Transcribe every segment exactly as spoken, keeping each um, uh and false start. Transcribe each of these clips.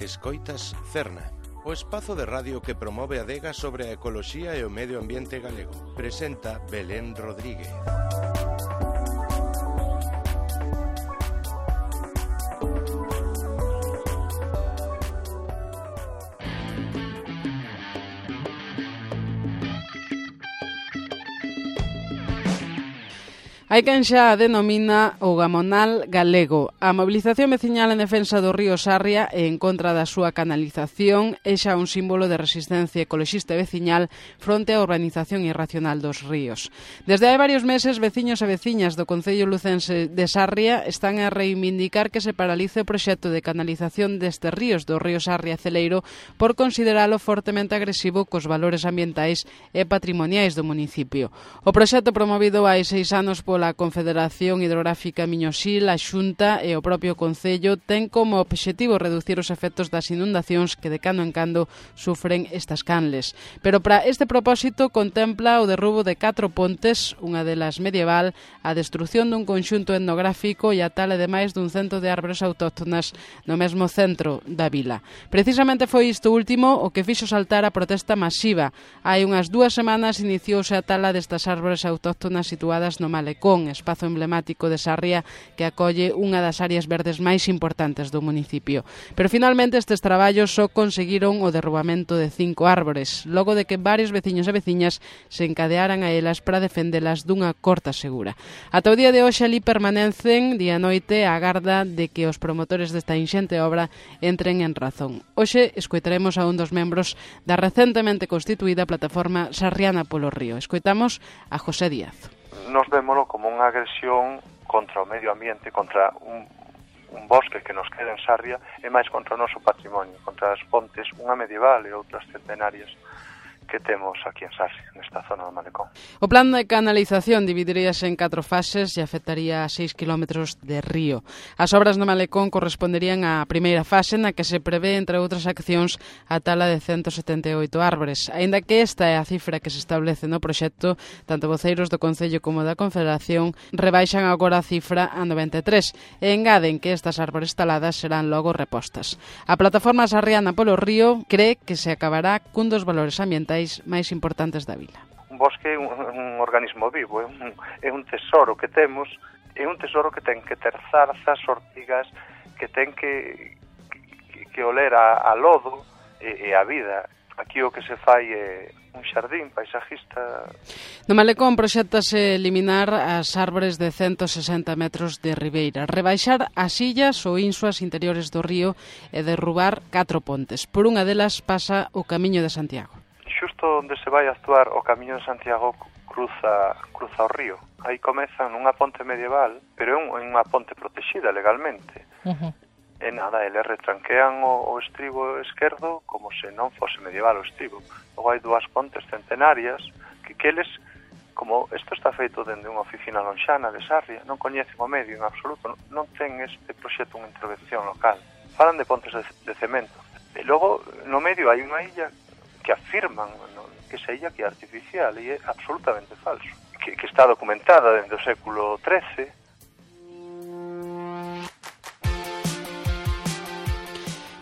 Escoitas Cerna, o espazo de radio que promove a adega sobre a ecoloxía e o medio ambiente galego. Presenta Belén Rodríguez. Hai quen xa a denomina o Gamonal galego. A mobilización veciñal en defensa do río Sarria e en contra da súa canalización é xa un símbolo de resistencia ecoloxista e veciñal fronte á urbanización irracional dos ríos. Desde hai varios meses, veciños e veciñas do concello lucense de Sarria están a reivindicar que se paralice o proxecto de canalización destes ríos do río Sarria Celeiro por consideralo fortemente agresivo cos valores ambientais e patrimoniais do municipio. O proxecto promovido hai seis anos pola a Confederación Hidrográfica Miñoxil, a Xunta e o propio Concello ten como obxectivo reducir os efectos das inundacións que de cando en cando sufren estas canles. Pero para este propósito contempla o derrubo de catro pontes, unha delas medieval, a destrución dun conxunto etnográfico e a tala de máis dun cento de árbores autóctonas no mesmo centro da vila. Precisamente foi isto último o que fixo saltar a protesta masiva. Hai unhas dúas semanas iniciouse a tala destas árbores autóctonas situadas no Malecón, espazo emblemático de Sarria que acolle unha das áreas verdes máis importantes do municipio. Pero finalmente estes traballos só conseguiron o derrubamento de cinco árbores, logo de que varios veciños e veciñas se encadearan a elas para defendelas dunha corta segura. Ata o día de hoxe ali permanecen día e noite a garda de que os promotores desta inxente obra entren en razón. Hoxe escoitaremos a un dos membros da recentemente constituída plataforma Sarriana polo Río. Escoitamos a José Díaz. Nos vémolo como unha agresión contra o medio ambiente, contra un, un bosque que nos queda en Sarria e máis contra o noso patrimonio, contra as pontes, unha medieval e outras centenarias que temos aquí en Sarria, nesta zona do Malecón. O plan de canalización dividiríase en catro fases e afectaría a seis kilómetros de río. As obras no Malecón corresponderían á primeira fase na que se prevé, entre outras accións, a tala de ciento setenta e oito árbores. Aínda que esta é a cifra que se establece no proxecto, tanto voceiros do Concello como da Confederación rebaixan agora a cifra a noventa e tres e engaden que estas árbores taladas serán logo repostas. A plataforma Sarriana polo Río cree que se acabará cun dos valores ambientais máis importantes da vila. Un bosque é un, un organismo vivo, é un, é un tesoro que temos, é un tesoro que ten que ter zarzas, ortigas, que ten que, que, que oler a, a lodo e, e a vida. Aquí o que se fai é un xardín paisajista. No Malecón proxéctase eliminar as árbores de ciento sesenta metros de ribeira, rebaixar as illas ou insuas interiores do río e derrubar catro pontes. Por unha delas pasa o Camiño de Santiago. Xusto onde se vai a actuar o Camiño de Santiago cruza cruza o río. Aí comeza nunha ponte medieval, pero é unha ponte protexida legalmente. Uh-huh. E nada, eles retranquean o, o estribo esquerdo como se non fose medieval o estribo. Logo hai dúas pontes centenarias que, que eles, como isto está feito dende unha oficina lonxana de Sarria, non coñecen o medio en absoluto, non, non ten este proxecto unha intervención local. Falan de pontes de, de cemento. E logo no medio hai unha illa que afirman no, que esa illa que é artificial e é absolutamente falso, que, que está documentada dende o século trece.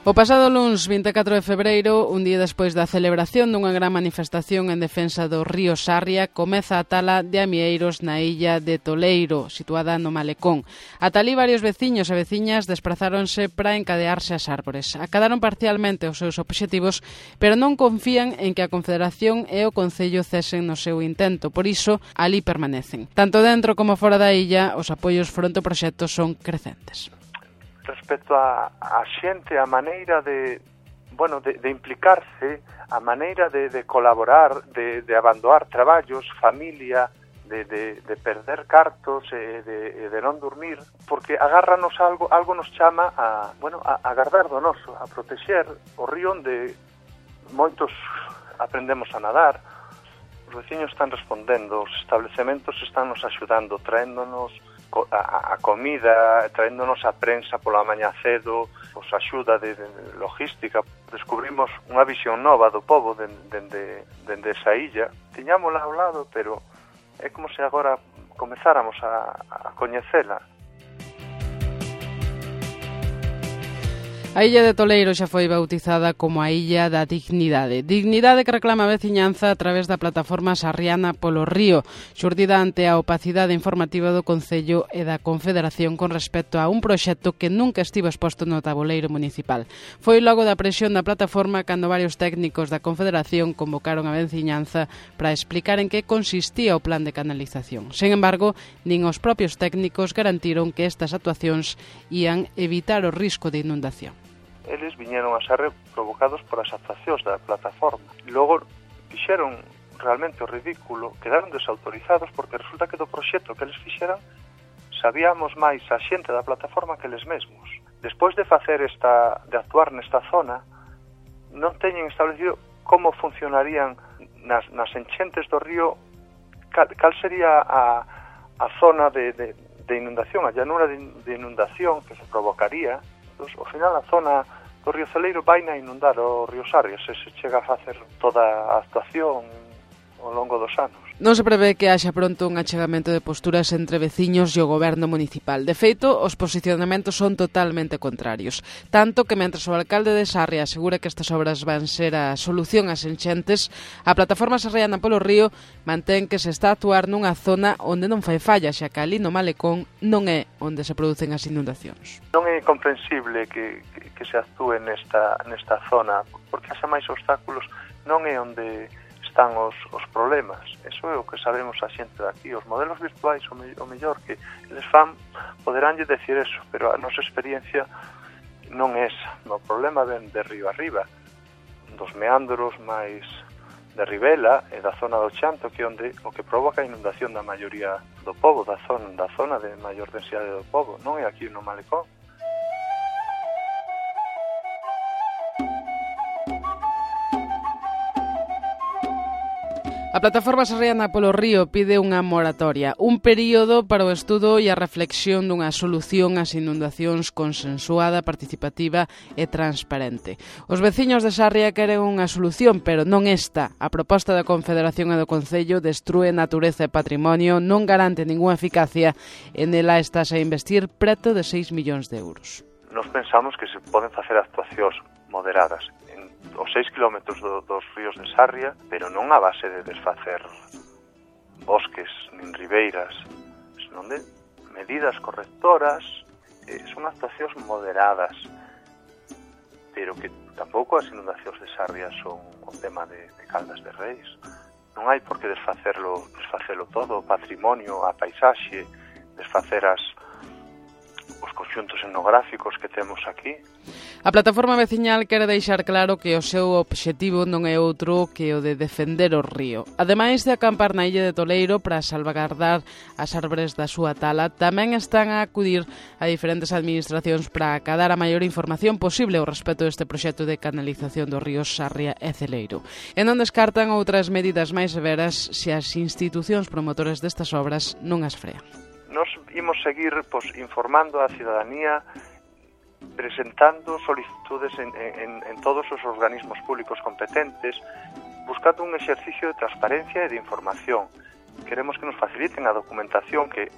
O pasado luns vinte e catro de febreiro, un día despois da celebración dunha gran manifestación en defensa do río Sarria, comeza a tala de amieiros na illa de Toleiro, situada no Malecón. Ata ali varios veciños e veciñas desprazáronse para encadearse as árbores. Acadaron parcialmente os seus obxectivos, pero non confían en que a Confederación e o Concello cesen no seu intento. Por iso, ali permanecen. Tanto dentro como fora da illa, os apoios fronte ao proxecto son crecentes. Respecto a, a xente, a maneira de, bueno, de, de implicarse, a maneira de, de colaborar, de, de abandonar traballos, familia, de, de, de perder cartos e de, de non dormir, porque agárranos algo, algo nos chama a, bueno, a, a guardar do noso, a protexer o río onde moitos aprendemos a nadar. Os veciños están respondendo, os establecementos están nos axudando, traéndonos a, a comida, traéndonos a prensa pola mañá cedo, os axuda de, de logística. Descubrimos unha visión nova do pobo dende, dende esa illa. Tiñámola ao lado, pero é como se agora comezáramos a, a coñecela. A illa de Toleiro xa foi bautizada como a Illa da Dignidade. Dignidade que reclama a veciñanza a través da plataforma Sarriana polo Río, xurdida ante a opacidade informativa do Concello e da Confederación con respecto a un proxecto que nunca estivo exposto no tabuleiro municipal. Foi logo da presión da plataforma cando varios técnicos da Confederación convocaron a veciñanza para explicar en que consistía o plan de canalización. Sen embargo, nin os propios técnicos garantiron que estas actuacións ían evitar o risco de inundación. Eles viñeron a ser provocados por as actuacións da plataforma. Logo fixeron realmente o ridículo, quedaron desautorizados porque resulta que do proxecto que eles fixeran sabíamos máis a xente da plataforma que eles mesmos. Despois de facer esta, de actuar nesta zona, non teñen establecido como funcionarían nas, nas enchentes do río, cal, cal sería a, a zona de, de, de inundación, a llanura de, de inundación que se provocaría. Entón, ao final, a zona do río Celeiro vai a inundar o río Sarria se se chega a facer toda a actuación ao longo dos anos. Non se prevé que haxa pronto un achegamento de posturas entre veciños e o goberno municipal. De feito, os posicionamentos son totalmente contrarios. Tanto que, mentres o alcalde de Sarria asegura que estas obras van ser a solución ás enchentes, a plataforma Sarriana polo Río mantén que se está a actuar nunha zona onde non fai falla, xa que ali no Malecón non é onde se producen as inundacións. Non é comprensible que, que, que se actúe nesta, nesta zona, porque haxa máis obstáculos, non é onde están os, os problemas. Eso é o que sabemos a xente daqui. Os modelos virtuais, o, me, o mellor que eles fan, poderánlle decir eso, pero a nosa experiencia non é esa. O problema ven de río arriba, dos meandros máis de Ribela e da zona do Chanto, que é onde o que provoca a inundación da maioría do pobo, da zona, da zona de maior densidade do pobo, non é aquí no Malecón. A plataforma Sarriana polo Río pide unha moratoria, un período para o estudo e a reflexión dunha solución ás inundacións consensuada, participativa e transparente. Os veciños de Sarria queren unha solución, pero non esta. A proposta da Confederación e do Concello destrúe natureza e patrimonio, non garante ninguna eficacia e nela estás a investir preto de seis millóns de euros. Nos pensamos que se poden facer actuacións moderadas en os seis kilómetros do, dos ríos de Sarria, pero non a base de desfacer bosques nin ribeiras, senón de medidas correctoras, eh, son actuacións moderadas, pero que tampouco as inundacións de Sarria son o tema de, de Caldas de Reis. Non hai por que desfacerlo, desfacelo todo, o patrimonio, a paisaxe, desfacer as os conxuntos etnográficos que temos aquí. A plataforma veciñal quere deixar claro que o seu obxectivo non é outro que o de defender o río. Ademais de acampar na illa de Toleiro para salvagardar as árbores da súa tala, tamén están a acudir a diferentes administracións para acadar a maior información posible ao respecto deste proxecto de canalización dos ríos Sarria e Celeiro. E non descartan outras medidas máis severas se as institucións promotoras destas obras non as frean. Nos imos seguir pues, informando a cidadanía, presentando solicitudes en, en, en todos os organismos públicos competentes, buscando un exercicio de transparencia e de información. Queremos que nos faciliten a documentación que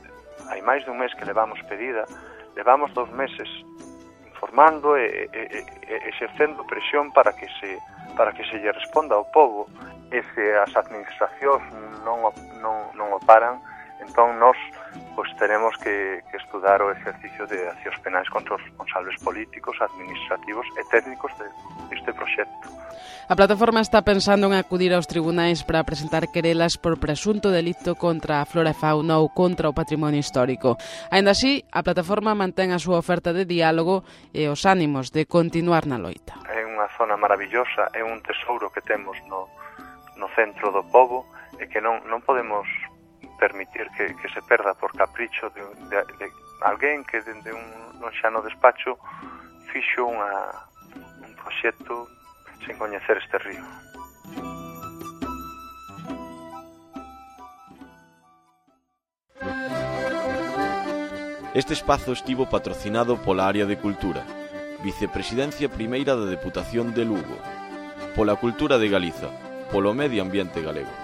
hai máis de un mes que levamos pedida, levamos dos meses informando e, e, e exercendo presión para que se para que se lle responda ao povo. E se as administracións non, non, non o paran, entón nós pois teremos que, que estudar o exercicio de accións penais contra os responsables políticos, administrativos e técnicos de, deste proxecto. A plataforma está pensando en acudir aos tribunais para presentar querelas por presunto delito contra a flora e fauna ou contra o patrimonio histórico. Aínda así, a plataforma mantén a súa oferta de diálogo e os ánimos de continuar na loita. É unha zona maravillosa, é un tesouro que temos no, no centro do pobo e que non, non podemos permitir que, que se perda por capricho de, de, de alguén que dende un, un xa no despacho fixo unha, un proxecto sen coñecer este río. Este espazo estivo patrocinado pola Área de Cultura, Vicepresidencia Primeira da Deputación de Lugo, pola Cultura de Galiza, polo Medio Ambiente Galego.